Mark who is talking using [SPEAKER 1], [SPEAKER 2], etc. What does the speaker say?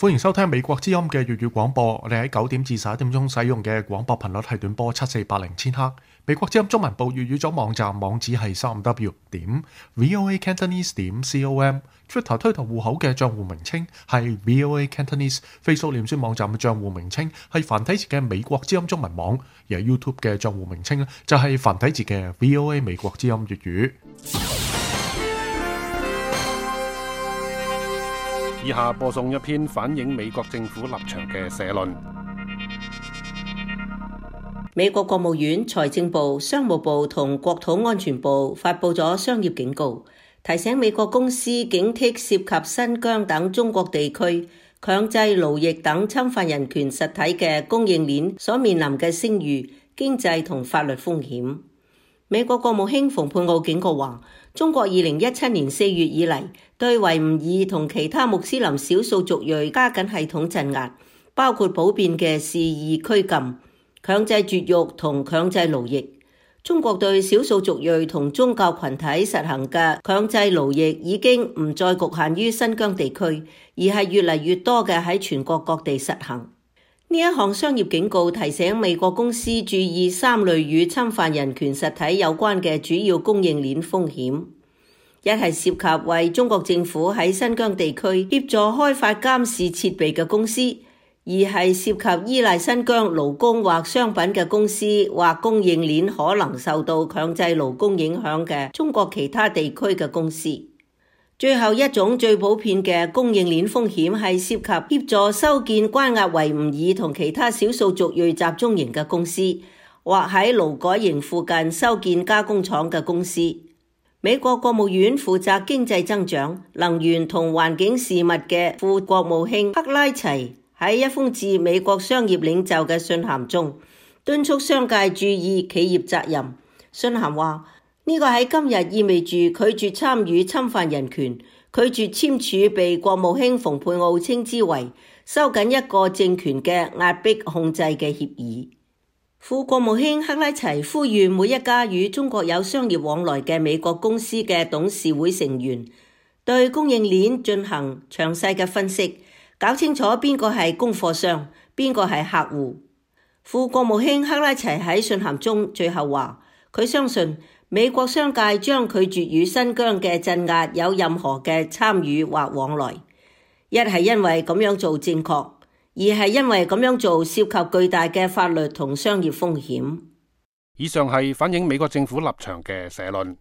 [SPEAKER 1] 歡迎收聽美國之音嘅粵語廣播。我哋喺9點至11點鐘使用嘅廣播頻率係短波7480千赫。美國之音中文部粵語組網站網址係3w.voacantonese.com。Twitter 推特戶口嘅賬戶名稱係 VOA Cantonese。Facebook 臉書網站嘅賬戶名稱係繁體字嘅美國之音中文網，而 YouTube 嘅賬戶名稱咧就係繁體字嘅 VOA 美國之音粵語。
[SPEAKER 2] 以下播送一篇反映美國政府立場嘅社論。
[SPEAKER 3] 美國國務院、財政部、商務部同國土安全部發佈咗商業警告，提醒美國公司警惕涉及新疆等中國地區強制勞役等侵犯人權實體嘅供應鏈所面臨嘅聲譽、經濟同法律風險。美國國務卿蓬佩奧警告話，中國2017年4月以嚟對維吾爾同其他穆斯林少數族裔加緊系統鎮壓，包括普遍嘅肆意拘禁、強制絕育同強制勞役。中國對少數族裔同宗教群體實行嘅強制勞役已經唔再局限於新疆地區，而係越嚟越多嘅喺全國各地實行。呢一項商業警告提醒美國公司注意3類與侵犯人權實體有關嘅主要供應鏈風險。一係涉及為中國政府喺新疆地區協助開發監視設備嘅公司；二係涉及依賴新疆勞工或商品嘅公司或供應鏈可能受到強制勞工影響嘅中國其他地區嘅公司。最後一種最普遍嘅供應鏈風險係涉及協助修建關押維吾爾同其他少數族裔集中營嘅公司，或喺勞改營附近修建加工廠嘅公司。美國國務院負責經濟增長、能源同環境事務嘅副國務卿克拉齊喺一封致美國商業領袖嘅信函中，敦促商界注意企業責任。信函話，呢個喺今日意味住拒絕參與侵犯人權、拒絕簽署被國務卿蓬佩奧稱之為收緊一個政權嘅壓迫控制嘅協議。副國務卿克拉齊呼籲每一家與中國有商業往來嘅美國公司嘅董事會成員對供應鏈進行詳細嘅分析，搞清楚邊個係供貨商，邊個係客戶。副國務卿克拉齊喺信函中最後話，佢相信美國商界將拒絕與新疆嘅鎮壓有任何嘅參與或往來，一係因為咁樣做正確，二係因為咁樣做涉及巨大嘅法律同商業風險。
[SPEAKER 2] 以上係反映美國政府立場嘅社論。